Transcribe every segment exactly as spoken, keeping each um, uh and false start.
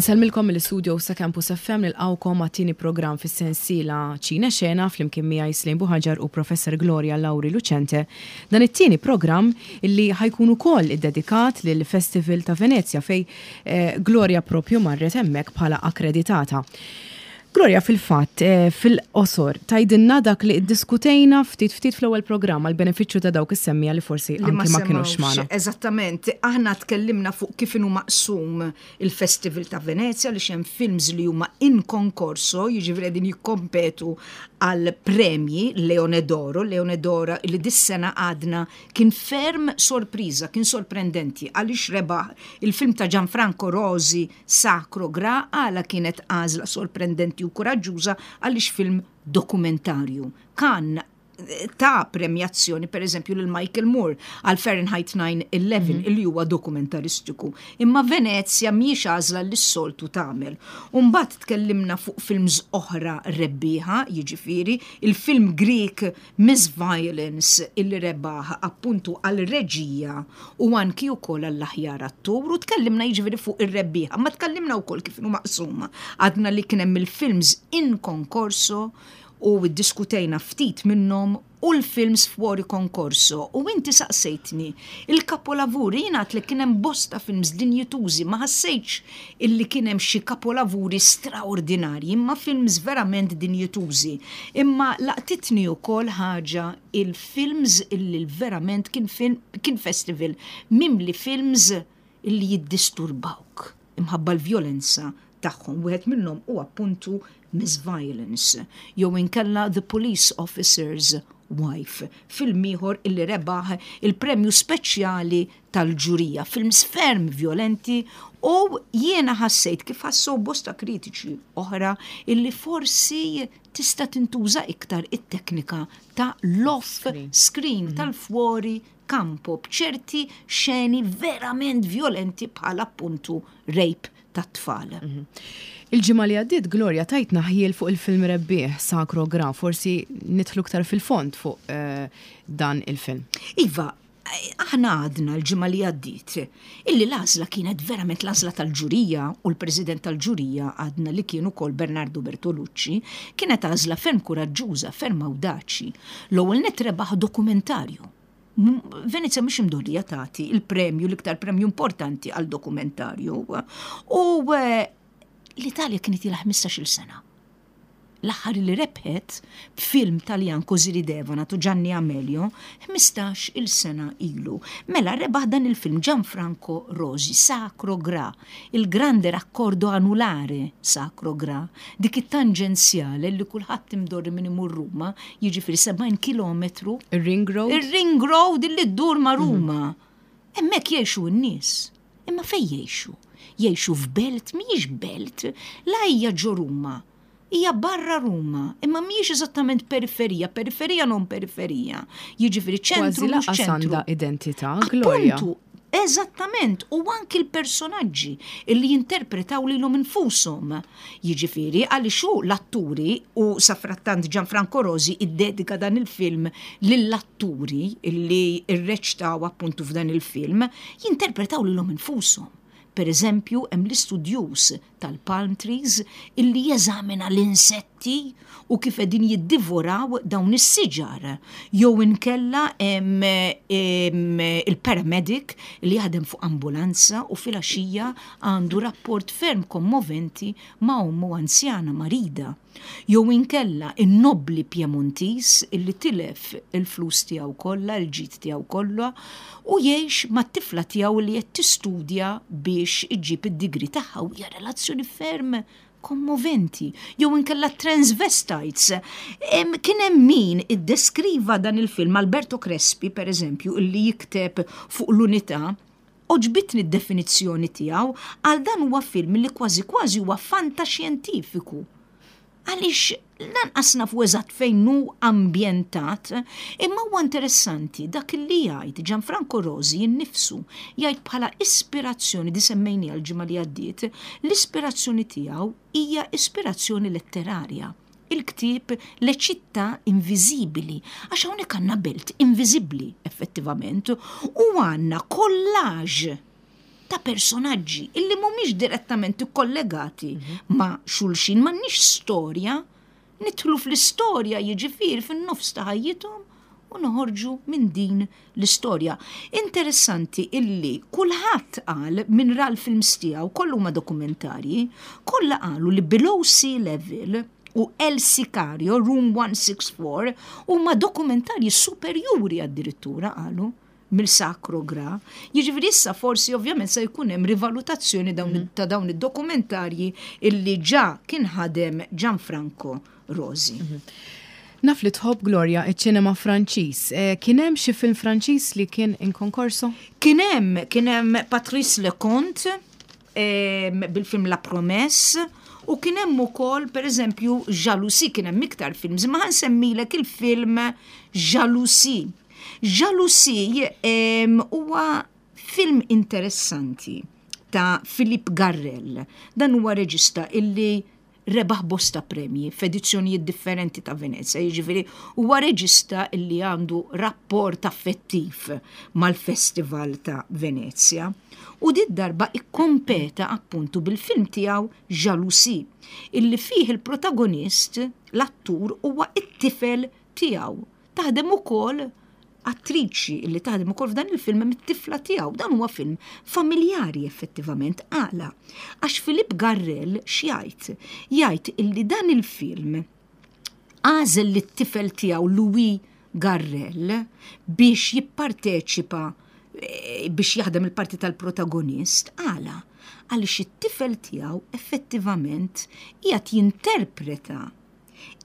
Insellmilkom mill-studio sa' Campus F M, nilqgħukom għat-tieni programm fis-sensiela Ċine Xena flimkien miegħi Slejn Buħaġar u Professor Gloria Lauri Lucente. Dan it-tieni programm illi ħa jkun ukoll iddedikat lil Festival ta' Venezia fej eh, Gloria propju marret hemmhekk bħala akkreditata. Gloria, fil-fatt, eh, fil-qosor, tgħidilna dak li diskutejna ftit ftit fl-ewwel programm għal benefiċċju ta' dawk is-semmiegħa li forsi li anki ma kienux semmawx. magħna. Eżattament, aħna tkellimna fuq kif inhu maqsum il-Festival ta' Venezia, li hemm films li huma in concorso, jiġifieri qegħdin jikkompetu għal premji Leone d'Oro, Leone d'Oro li dis-sena għadna kien ferm sorpriża, kien sorprendenti għaliex rebaħ il-film ta' Gianfranco Rosi, Sacro Gra. Għala kienet għażla sorprendenti u kuraġġuża? Għaliex film dokumentarju. Kan ta' premjazzjoni per eżempju lil Michael Moore għal Fahrenheit nine eleven, illi huwa dokumentaristiku. Imma Venezia mhijiex għażla li s-soltu tagħmel. Mbagħad tkellimna fuq films oħra rebbieħa, jiġifieri il-film Greek Miss Violence, illi rebaħ appuntu għal reġija u anki wkoll għall-aħjar attur, u tkellimna jiġifieri fuq ir-rebbieħa, ma tkellimna wkoll kif inhu maqsuma. Għadna li kien hemm il-films in concorso u diskutejna ftit minnhom u l-films fuori concorso. U inti saqsejtni il-kapolavuri. Jiena li kien hemm bosta films dinjitużi, ma ħassejtx illi kien hemm xi kapolavuri straordinarji, imma films verament dinjitużi. Imma laqtitni wkoll ħaġa, il-films illi verament kien film, kien festival mimli films illi jiddisturbawk imħabba l-vjolenza tagħhom. Wieħed minnhom u appuntu Miss Violence, jew inkella The Police Officer's Wife, film ieħor illi rebaħ il-premju speċjali tal-ġurija, films ferm violenti, u jiena ħassejt, kif ħassu bosta kritiċi oħra, illi forsi tista' tintuża iktar it-teknika ta' l-off screen, tal-fuori campo, b'ċerti xeni verament violenti bħal appuntu rape tat-tfal. Il-ġimgħa li għaddiet, Gloria, tajtna ħjiel fuq il-film rebbieħ Sacro Gra, forsi nidħlu iktar fil-fond fuq eh, dan il-film. Iva, aħna għadna l-ġimgħa li għaddiet illi l-għażla kienet verament l-għażla tal-ġurija, u l-president tal-ġurija għadna li kien ukoll Bernardo Bertolucci, kienet għażla ferm kuraġġuża, ferm awdaċi. L-ewwel net rebaħ dokumentarju. M- Venezia mhux imdorrija tagħti il-premju, l-iktar premju importanti għal dokumentarju. U eh, l-Italja kienet ilha ħmistax-il sena. L-aħħar li rebħet b'film Taljan, Così ridevano ta' Gianni Amelio, ħmistax il sena ilu. Mela rebaħ dan il-film Gianfranco Rosi, Sacro Gra, il grande raccordo anulare Sacro Gra, dik it-tanġenzjale li kulħadd imdorri minn imur Ruma, jiġifieri sebgħin kilometru. Il-Ring Road? Il-Ring Road illi ddur ma' Ruma. Hemmhekk jgħixu n-nies. Imma fej jgħixu? Jgħixu f'belt, mhijiex belt, la hija ġo Ruma. Hija barra Ruma, imma mhijiex eżattament periferija, periferija non periferija. Jiġifieri ċentru Kważi mhux lanqas ċentru. għandha identità, Gloria. Appuntu, eżattament, u anki l-personaġġi illi jinterpretaw lilhom infushom. Jiġifieri, għaliex hu l-atturi, u safrattant Gianfranco Rosi iddedika dan il-film lill-atturi illi irreċtaw appuntu f'dan il-film, jinterpretaw lilhom infushom. Per eżempju, hemm l-istudjus tal-palm trees illi jeżamina l-insetti u kif qegħdin jiddivoraw dawn is-siġar. Jew inkella hemm hemm il-paramedic li jaħdem fuq ambulanza u filgħaxija għandu rapport ferm kommoventi ma' ommu anzjana marida. Jew inkella in-nobli Piemontis illi tilef il-flus tiegħu kollha, il-ġid tiegħu kollha, u jgħix mat-tifla tiegħu li qed tistudja biex iġġib id-degree tagħha, u hija relazzjoni ferm kommoventi. Jew inkella transvestites. Em, Kien hemm min iddeskriva dan il-film, Alberto Crespi per eżempju, illi jikteb fuq l-Unità, għoġbitni d-definizzjoni tiegħu, għal dan huwa film li kważi kważi huwa fantaxjentifiku. Għaliex lanqas nafu eżatt fejn hu ambjentat, imma huwa interessanti dak li jgħid Gianfranco Rosi innifsu, jgħid bħala ispirazzjoni di semmejni għal-ġimgħa li għaddiet, l-ispirazzjoni tiegħu hija ispirazzjoni letterarja. Il-ktieb Le città invisibili, għax hawnhekk għandna belt inviżibbli effettivament u għandna collage ta' personaġġi illi mhumiex direttament ikkollegati mhm. ma' xulxin, m'għandniex storja, nidħlu fl-istorja, jiġifieri fin-nofs ta' ħajjithom, u noħorġu minn din l-istorja. Interessanti illi kulħadd qal minn ra l-films tiegħu, kollu ma dokumentarji, kollha qalu li Below Sea Level u El Sicario, Room one sixty-four, huma dokumentarji superjuri addirittura, qalu, mill-Sacro Gra. Jiġifieri issa forsi ovvjament se jkun hemm rivalutazzjoni dawn, mm. ta' dawn id-dokumentarji illi ġa kien ħadem Gianfranco Rosi. Mm -hmm. Naf li tħobb, Gloria, iċ-ċinema Franċiż. Eh, kien hemm xi film Franċiż li kien in concorso? Kien hemm, kien hemm Patrice Leconte eh, bil-film La Promesse u kien hemm ukoll, pereżempju, Jalousie. Kien hemm iktar films, ma ħa nsemmilek il-film Jalousie. Jalousie huwa film interessanti ta' Philippe Garrel. Dan huwa reġista illi rebaħ bosta premji f'edizzjonijiet differenti ta' Venezia, jiġifieri huwa reġista illi għandu rapport affettiv mal-Festival ta' Venezia. U din id-darba ikkompeta appuntu bil-film tiegħu Jalousie, illi fih il-protagonist, l-attur, huwa it-tifel tiegħu. Taħdem ukoll attriċi li taħdem ukoll f'dan il-film mit-tifla tiegħu. Dan huwa film familjari effettivament. Għala? Għax Philippe Garrel x'jgħid? Jgħid illi dan il-film għażel lit-tifel tiegħu, Louis Garrel, biex jipparteċipa eh, biex jaħdem il-parti tal-protagonist. Għala? Għaliex it-tifel tiegħu effettivament qiegħed jinterpreta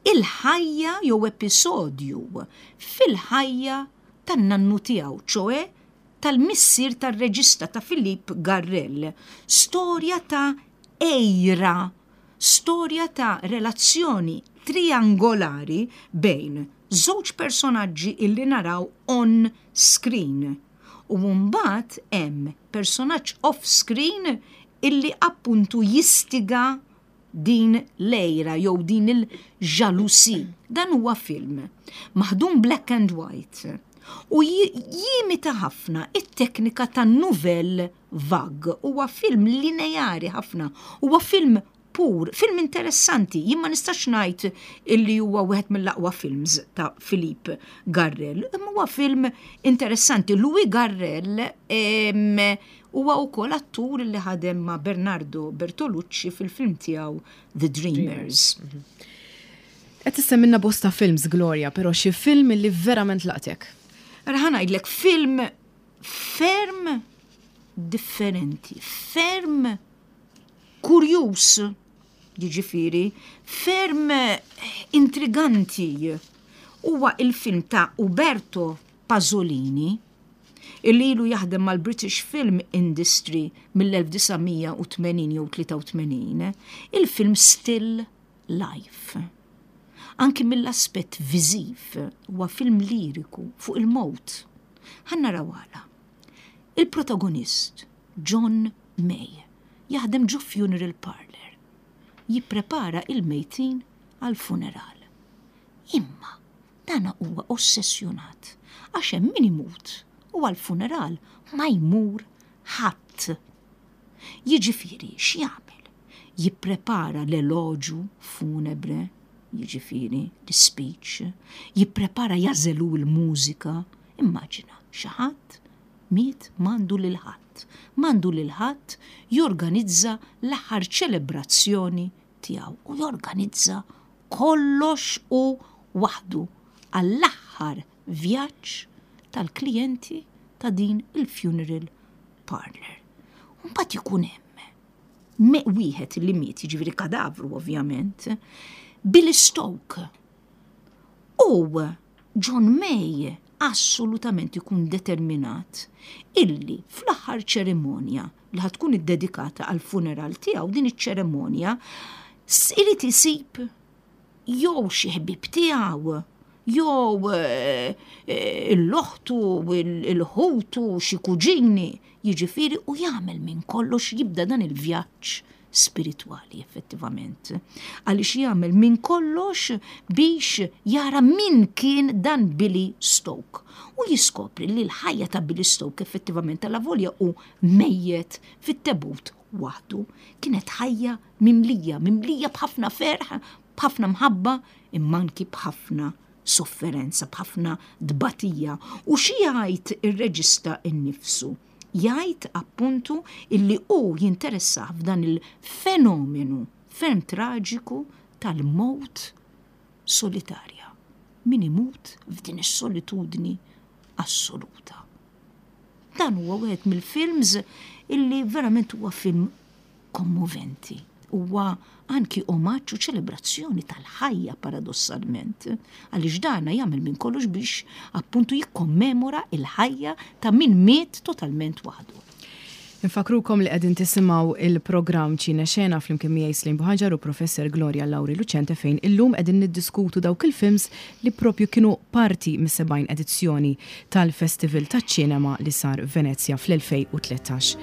il-ħajja jew episodju fil-ħajja tan-nannu tiegħu, ċoè tal-missier tar-reġista, ta' Philippe Garrel. Storja ta' għira, storja ta' relazzjoni triangolari bejn żewġ personaġġi illi naraw on screen. U mbagħad hemm personaġġ off screen illi appuntu jistiga din l-għira jew din il-jalousie. Dan huwa film maħdum black and white u jimita ħafna it-teknika ta' nouvelle vague. Huwa film lineari ħafna, huwa film pur, film interessanti. Jien ma nistax ngħid illi huwa wieħed mill-aqwa films ta' Philippe Garrel, imma huwa film interessanti. Louis Garrel huwa wkoll attur li ħadem ma' Bernardo Bertolucci fil-film tiegħu The Dreamers. Mhm. Qed issemmilna bosta films, Gloria, però xi film li verament laqtek? Ħa ngħidlek film ferm differenti, ferm kurjus, jiġifieri, ferm intriganti. Huwa il-film ta' Uberto Pasolini, illi ilu jaħdem mal-British Film Industry mill-elf disa' mija u tmenin jew tlieta u tmenin, il-film Still Life. Anki mill-aspett viżiv huwa film liriku fuq il-mowt. Ħa naraw għala. Il-protagonist, John May, jaħdem ġo funeral parlor. Jipprepara il-mejtin għal funeral. Imma dana huwa ossessjonat għax hemm min imut u għal funeral ma jmur ħadd. Jiġifieri x'jagħmel? Jipprepara l-eloġju funebre, jiġifieri l-speech, jipprepara, jagħżel il-mużika. Immaġina, xi ħadd miet, m'għandu lil ħadd. M'għandu lil ħadd jorganizza l-aħħar ċelebrazzjoni tiegħu u jorganizza kollox u waħdu għall-aħħar vjaġġ tal-klijenti ta' din il-funeral parlor. Mbagħad ikun hemm wieħed li miet, jiġifieri kadavru ovvjament, Billy Stoke. U John May assolutament ikun determinat illi fl-aħħar ċerimonja li ħa tkun iddedikata għal funeral tiegħu, din iċ-ċerimonja irid isib jew xi ħbib tiegħu jew eh, eh, l-oħtu, il-ħutu, xi kuġini, jiġifieri, u jagħmel minn kollox, jibda dan il-vjaġġ. spiritwali effettivament. Għaliex jagħmel minn kollox biex jara min kien dan Billy Stoke. U jiskopri li l-ħajja ta' Billy Stoke effettivament tal-avolja u mejjet fit-tebut waħdu kienet ħajja mimlija, mimlija b'ħafna ferħ, b'ħafna mħabba, imma anki b'ħafna sofferenza, b'ħafna dbatija. U xi jgħid ir-reġista innifsu? Jgħid appuntu illi hu jinteressah f'dan il-fenomenu ferm traġiku tal-mowt solitarja. Min imut f'din is-solitudni assoluta. Dan huwa wieħed mill-films illi verament huwa film kommoventi. Huwa anki omaġġ u ċelebrazzjoni tal-ħajja paradossalment, għaliex dana jagħmel minn kollox biex appuntu jikkommemora il-ħajja ta' min miet totalment waħdu. Infakrukom li qegħdin tisimgħu il-programm Ċine Xena flimkien miegħi Slim Buħaġar u Professor Gloria Lauri Lucente fejn illum qegħdin niddiskutu dawk il-films li propju kienu parti mis-sebgħin edizzjoni tal-Festival taċ-Ċinema li sar Venezja fl-elfejn u tlettax.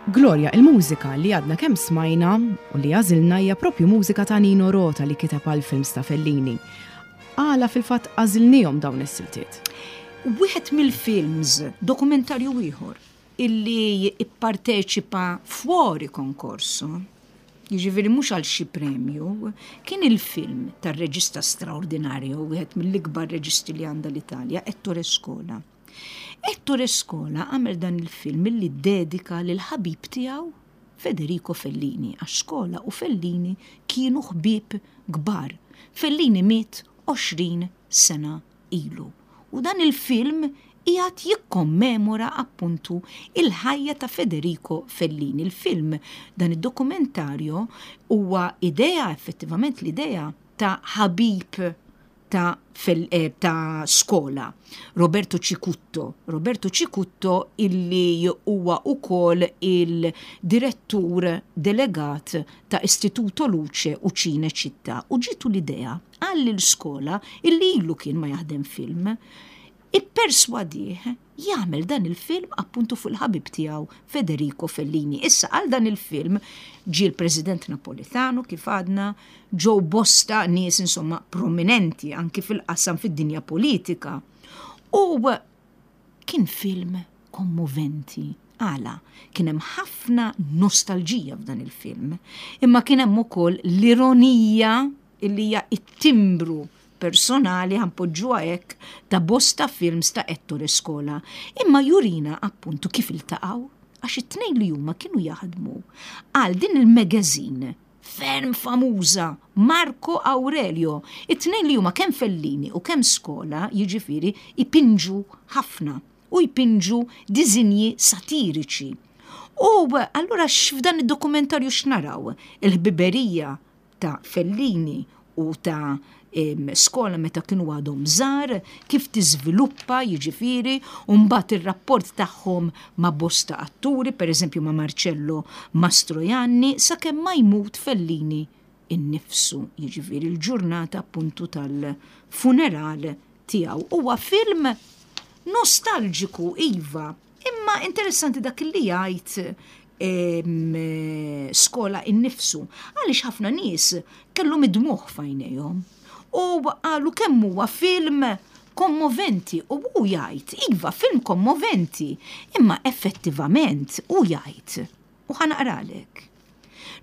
Gloria, il-mużika li għadna kemm smajna u li għażilna hija propju mużika ta' Nino Rota li kiteb għal films ta' Fellini. Għala fil-fatt għażilnihom dawn is-siltiet? Wieħed mill-films, dokumentarju ieħor, illi ipparteċipa fuori konkorso, jiġifieri mhux għal xi premju, kien il-film tar-reġista straordinarju, wieħed mill-ikbar reġisti li għandha l-Italja, Ettore Scola. Ettore Scola għamel dan il-film illi dedika lil ħabib tiegħu Federico Fellini, għax Scola u Fellini kienu ħbieb kbar. Fellini miet għoxrin sena ilu. U dan il-film qiegħed jikkommemora appuntu il-ħajja ta' Federico Fellini. Il-film, dan id-dokumentarju, huwa idea, effettivament l-idea ta' ħabib ta', fel, eh, ta' Scola, Roberto Cicutto. Roberto Cicutto illi huwa ukoll il-direttur delegat ta' Istituto Luce u Cinecittà. U ġitu l-idea għal l-Scola illi ilu kien ma jaħdem film, ipperswadih jagħmel dan il-film appuntu fuq il-ħabib tiegħu Federico Fellini. Issa għal dan il-film ġie l-President Napolitano, kif għadna, ġew bosta nies, insomma, prominenti anki fil-qasam fid-dinja politika. U kien film kommoventi. Għala, kien hemm ħafna nostalġija f'dan il-film, imma kien hemm ukoll l-ironija illi hija it-timbru personali, ħa npoġġuha hekk, ta' bosta films ta' Ettore Scola. Imma jurina appuntu kif iltaqgħu, għax it-tnejn li huma kienu jaħdmu għal din il-magazine ferm famuża Marco Aurelio. It-tnejn li huma, kemm Fellini u kemm Scola, jiġifieri ipinġu ħafna u jpinġu dizinji satiriċi. U allura f'dan id-dokumentarju x'naraw? Il-ħbiberija ta' Fellini u ta' Scola meta kienu għadhom żgħar, kif tiżviluppa, jiġifieri, u mbagħad ir-rapport tagħhom ma' bosta atturi, pereżempju ma' Marcello Mastroianni, sakemm ma jmut Fellini innifsu, jiġifieri l-ġurnata appuntu tal-funeral tiegħu. Huwa film nostalġiku, iva, imma interessanti dak li jgħid Scola innifsu, għaliex ħafna nies kellhom id-dmugħ f'għajnejhom. U qalu kemm huwa film kommoventi, u hu jgħid, iva, film kommoventi, imma effettivament hu jgħid, u ħa naqralek: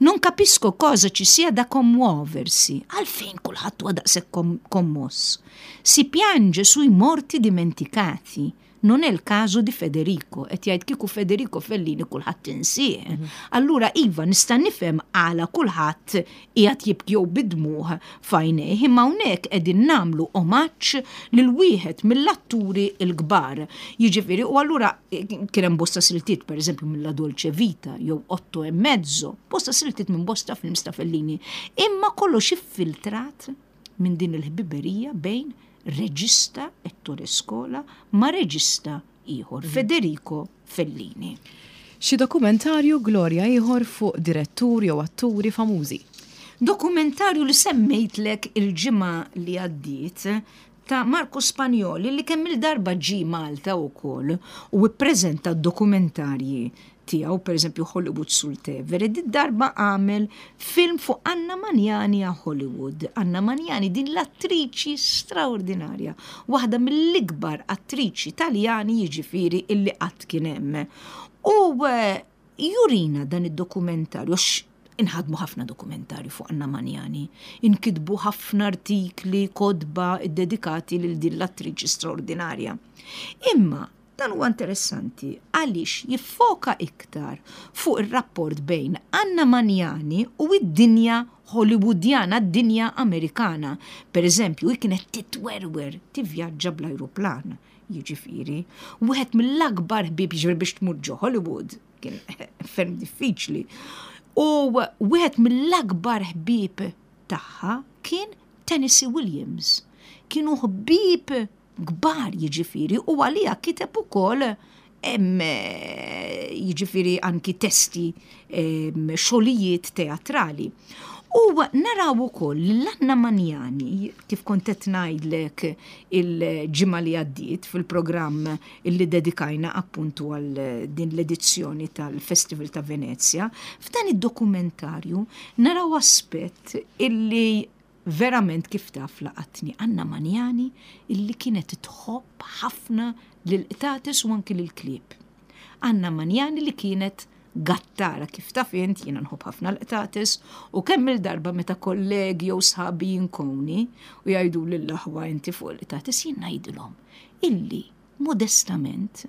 "Non capisco cosa ci sia da commuoversi." Għalfejn kulħadd huwa daqshekk kommoss? "Si piange sui morti dimenticati. Non è il caso di Federico." Qed jgħid kieku Federico Fellini kulħadd insih. Mhm. Allura iva, nista' nifhem għala kulħadd qiegħed jibki jew bid-dmugħ f'għajnejh, imma hawnhekk qegħdin nagħmlu omaġġ lil wieħed mill-atturi l-kbar. Jiġifieri, u allura kien hemm bosta siltiet, pereżempju mill-La Dolce Vita jew Otto e Mezzo, bosta siltiet minn bosta films ta' Fellini. Imma kollox iffiltrat minn din il-ħbiberija bejn reġista Ettore Scola ma' reġista ieħor, mhm. Federico Fellini. Xi dokumentarju, Gloria, ieħor fuq direttur jew atturi famużi? Dokumentarju li semmejtlek il-ġimgħa li għaddiet ta' Marco Spagnoli, li kemm il-darba ġi Malta wkoll u ippreżenta dokumentarji tiegħu, pereżempju Hollywood sul Tevere, di darba għamel film fuq Anna Magnani a Hollywood. Anna Magnani, din l-attriċi straordinarja, waħda mill-ikbar attriċi Taljani, jiġifieri, illi qatt kien hemm. U eh, jurina dan id-dokumentarju, inħadmu ħafna dokumentarju fuq Anna Magnani, inkitbu ħafna artikli, kotba dedikati lil din l-attriċi straordinarja. Imma dan huwa interessanti għaliex jiffoka iktar fuq ir-rapport bejn Anna Magnani u id-dinja Hollywoodjana, d-dinja Amerikana. Per eżempju, hi kienet titwerwer tivvjaġġa bl-ajruplan, jiġifieri. Wieħed mill-akbar ħbieb, jiġifieri biex tmur ġo Hollywood kien ferm diffiċli. U wieħed mill-akbar ħbieb tagħha kien Tennessee Williams. Kienu ħbieb kbar, jiġifieri, u għalija kiteb ukoll, jiġifieri, anki testi, xogħlijiet teatrali. U naraw ukoll l-Anna Magnani, kif kont qed ngħidlek il-ġimgħa li għaddiet fil-programm illi dedikajna appuntu għal din l-edizzjoni tal-Festival ta' Venezia, f'dan id-dokumentarju naraw aspett illi verament, kif taf, laqatni. Anna Magnani illi kienet tħobb ħafna lil-qtates u anki lil-klieb. Anna Magnani li kienet gattara. Kif taf int, jiena nħobb ħafna l-qtates u kemm il-darba meta kollegi jew sħabi jinkoni u jgħidu lill-aħwa inti fuq l-qtates, jien ngħidilhom illi modestament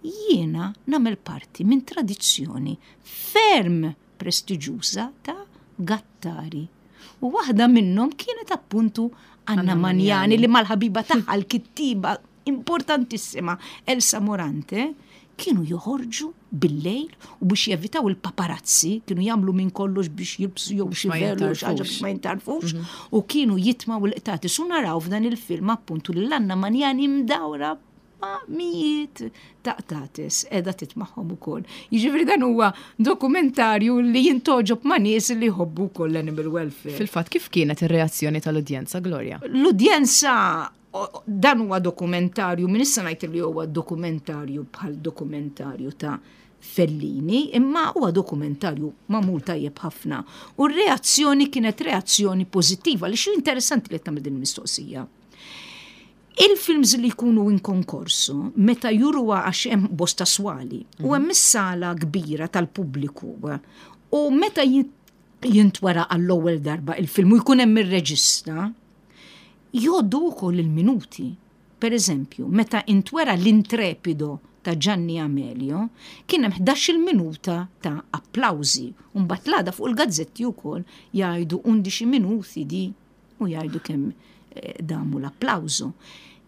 jiena nagħmel parti minn tradizzjoni ferm prestiġjuża ta' gattari. U waħda minnhom kienet appuntu Anna Magnani li mal-ħabiba tagħha l-kittiba importantissima, Elsa Morante, kienu joħorġu bil-lejl u biex jevitaw il-paparazzi, kienu jagħmlu minn kollox biex jilbsu jew xi velu xi ħaġa biex ma jintarfux, u kienu jitmaw il-qtates. U naraw f'dan il-film appuntu lil Anna Magnani mdawra ma' mijiet ta' qtates qiegħda titmagħhom ukoll. Jiġifieri dan huwa dokumentarju li jintgħoġob ma' nies li jħobbu wkoll l-animal welfare. Fil-fatt, kif kienet ir-reazzjoni tal-udjenza, Gloria? L-udjenza, dan huwa dokumentarju, minn issa ngħid li huwa dokumentarju bħal dokumentarju ta' Fellini, imma huwa dokumentarju magħmul tajjeb ħafna. U r-reazzjoni kienet reazzjoni pożittiva, li xi interessanti li tagħmel din il-mistoqsija. Il-films li jkunu in concorso, meta juruha, għax hemm bosta swali, u hemm is-sala kbira tal-pubbliku, u meta jintwera għall-ewwel darba il-film u jkun hemm ir-reġista, jgħoddu wkoll il-minuti. Per eżempju, meta intwera L'Intrepido ta' Gianni Amelio, kien hemm ħdax-il minuta ta' applawżi. U mbagħad l-għada fuq il-gazzetti wkoll jgħidu undici minuti di u jgħidu kemm eh, damu l-applawżu.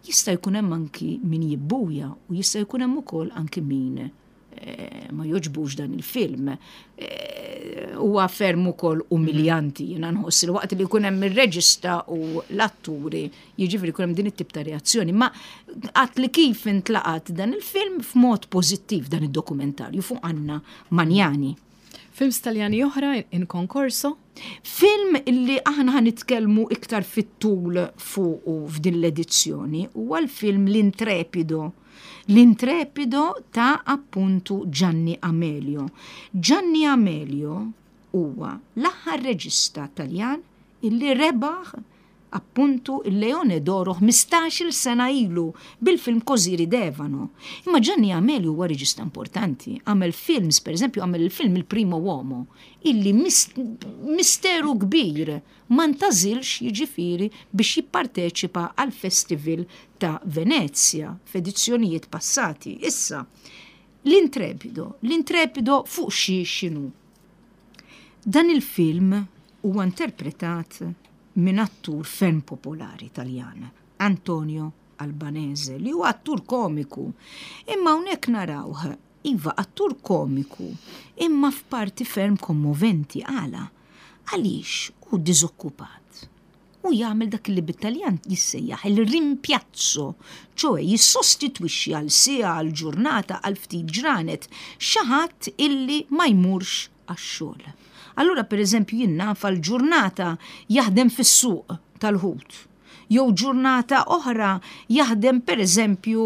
Jista' jkun hemm anki min jibbuja u jista' jkun hemm ukoll anki min eh, ma jogħġbux dan il-film. Eh, huwa ferm ukoll umiljanti, jiena nħoss li waqt li jkun hemm ir-reġista u l-atturi, jiġifieri jkun hemm din it-tip ta' reazzjoni. Ma għat li kif intlaqat dan il-film f'mod pożittiv, dan id-dokumentarju fuq Anna Magnani. Films Taljani oħra in concorso? Film illi aħna ħa nitkellmu iktar fit-tul fuq f'din l-edizzjoni huwa l-film L'Intrepido. L'Intrepido ta' appuntu Gianni Amelio. Gianni Amelio huwa l-aħħar reġista Taljan illi rebaħ appuntu il-Leone d'Oro ħmistax-il sena ilu bil-film Così ridevano. Imma Gianni Amelio huwa reġista importanti, għamel films, per eżempju, għamel il-film Il Primo Uomo, illi misteru kbir ma ntgħażilx, jiġifieri, biex jipparteċipa għal Festival ta' Venezia f'edizzjonijiet passati. Issa, L'Intrepido, L'Intrepido fuq xi xinu? Dan il-film huwa interpretat minn attur ferm popolari Taljan, Antonio Albanese, li huwa attur komiku. Imma hawnhekk narawh, iva, attur komiku, imma f'parti ferm kommoventi. Għala? Għaliex hu diżokkupat. U jagħmel dak li bit-Taljan jissejjaħ il-rimpiazzo, ċoè jissostitwixxi għal siegħa, għal ġurnata, għal ftit ġranet, xi ħadd illi ma jmurx għax-xogħol. Allura, per eżempju, jien naf ġurnata jaħdem fis-suq tal-ħut. Jew ġurnata oħra jaħdem, per eżempju,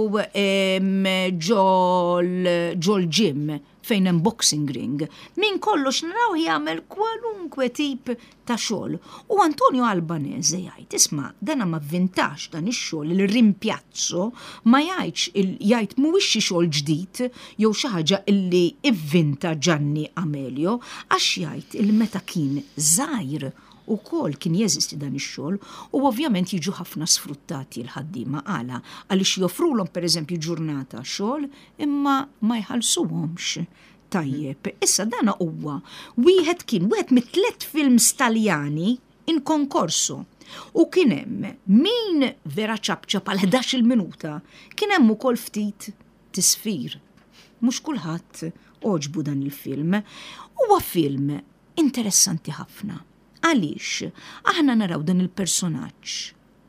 ġol gym fejn hemm boxing ring. Min kollox naraw jagħmel kwalunkwe tip ta' xogħol. U Antonio Albanese jgħid, isma', dana ma vvintax dan ix-xogħol, il-rimpiazzo, ma jgħidx, jgħid mhuwiex xi xogħol ġdid jew xi ħaġa illi ivvinta Gianni Amelio, għax jgħid il meta kien żgħir ukoll kien jeżisti dan ix-xogħol. U ovvjament jiġu ħafna sfruttati l-ħaddiema. Għala? Għaliex joffrulhom, pereżempju, ġurnata xogħol imma ma jħallsuhomx tajjeb. Issa dana huwa wieħed kien wieħed mit-tliet films Taljani in concorso. U kien hemm min vera ċapċap għal ħdax-il minuta, kien hemm ukoll ftit tisfir. Mhux kulħadd għoġbu dan il-film. Huwa film interessanti ħafna. Għaliex aħna naraw dan il-personaġġ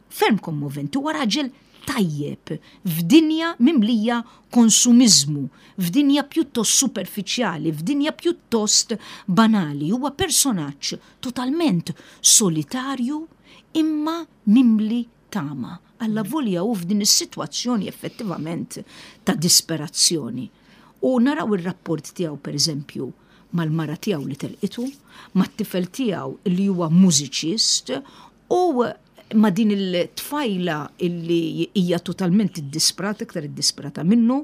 ferm kommoventi, huwa raġel tajjeb f'dinja mimlija konsumizmu, f'dinja pjuttost superfiċjali, f'dinja pjuttost banali. Huwa personaġġ totalment solitarju imma mimli tama. Alla volja u f'din is-sitwazzjoni effettivament ta' disperazzjoni. U naraw ir-rapport tiegħu, per eżempju, mal-mara tiegħu li telqitu, mat-tifel tiegħu li huwa mużiċist u ma' din il-tfajla illi hija totalment iddisprata, iktar iddisprata minnu,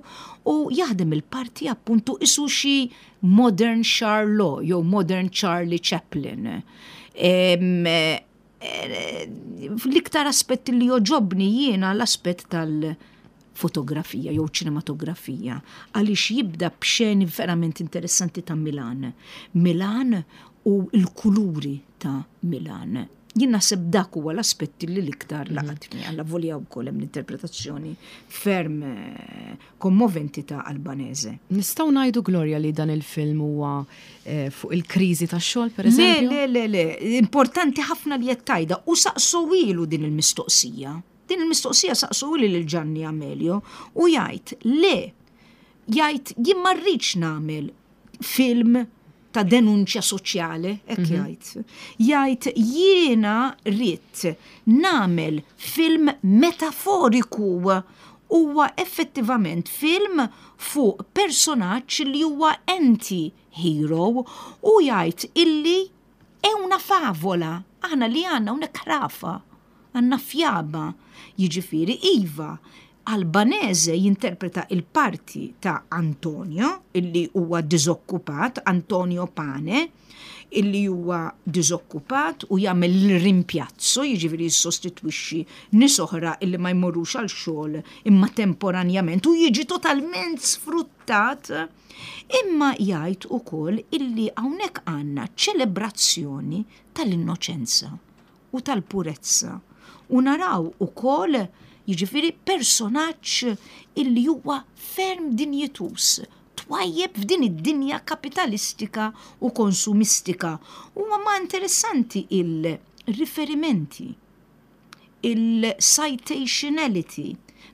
u jaħdem il-parti appuntu isu xi modern Charlot jew modern Charlie Chaplin. Eh, l-iktar aspett li jogħġobni jiena l-aspett tal-fotografija jew ċinematografija, għaliex jibda b'xeni verament interessanti ta' Milan. Milan u l-kuluri ta' Milan. Jien naħseb dak huwa l-aspetti li l-iktar laqatni, avolja wkoll hemm l-interpretazzjoni ferm eh, kommoventi ta' Albanese. Nistgħu ngħidu, Gloria, li dan il-film huwa eh, fuq il-kriżi tax-xogħol, per eżempju? Le, le, le, le, importanti ħafna li qed u saqsuhielu din il-mistoqsija. Din il-mistoqsija saqsuhielu lil Gianni Amelio u jgħid le, jgħid jien ma rridx nagħmel film ta' denunċja soċjali, hekk mhm. jgħid. Jgħid jiena rrid nagħmel film metaforiku, huwa effettivament film fuq personaġġ li huwa anti-hero u jgħid illi è una favola, aħna li għandna una krafa, għandna fjaba, jiġifieri iva, Albanese jinterpreta il-parti ta' Antonio, illi huwa diżokkupat, Antonio Pane, illi huwa diżokkupat u jagħmel il-rimpjazzo, jiġifieri jissostitwixxi nies oħra illi ma jmorrux għal xogħol imma temporanjament u jiġi totalment sfruttat. Imma jgħid ukoll illi hawnhekk għandna ċelebrazzjoni tal-innoċenza u tal-purezza. U naraw ukoll jiġifieri personaġġ illi huwa ferm dinjituż, twajjeb f'din id-dinja kapitalistika u konsumistika. Huwa ma interessanti il-riferimenti, il-citationality,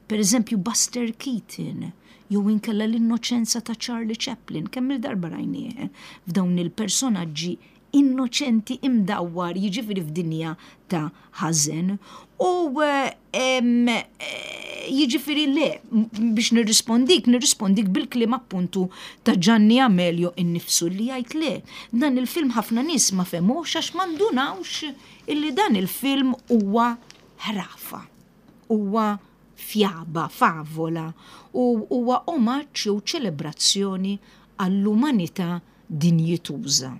per eżempju Buster Keaton, jew inkella l-innoċenza ta' Charlie Chaplin, kemm il-darba rajnieh f'dawn il-personaġġi innoċenti imdawwar jiġifieri f'dinja ta' ħażen. U jiġifieri le, biex nirrispondik, nirrispondik bil-kliem appuntu ta' Gianni Amelio innifsu li jgħid le. Dan il-film ħafna nies ma fehmux għax ma ndunawx illi dan il-film huwa ħrafa, huwa fjaba, favola u huwa omaġġ jew ċelebrazzjoni għall-umanità dinjituża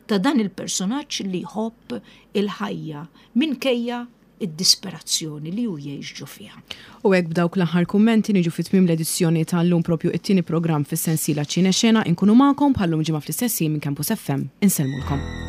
ta' dan il-personaġġ li jħobb il-ħajja minkejja id-disperazzjoni li hu jgħix ġo fiha. U hekk b'dawk l-aħħar kummenti niġu fi tmiem l-edizzjoni tal-lum, propju it-tieni programm fis-sensiela Ċine Xena. Inkunu magħkom bħallum ġimgħa fl-istess minn Campus F M. Insellmulkom.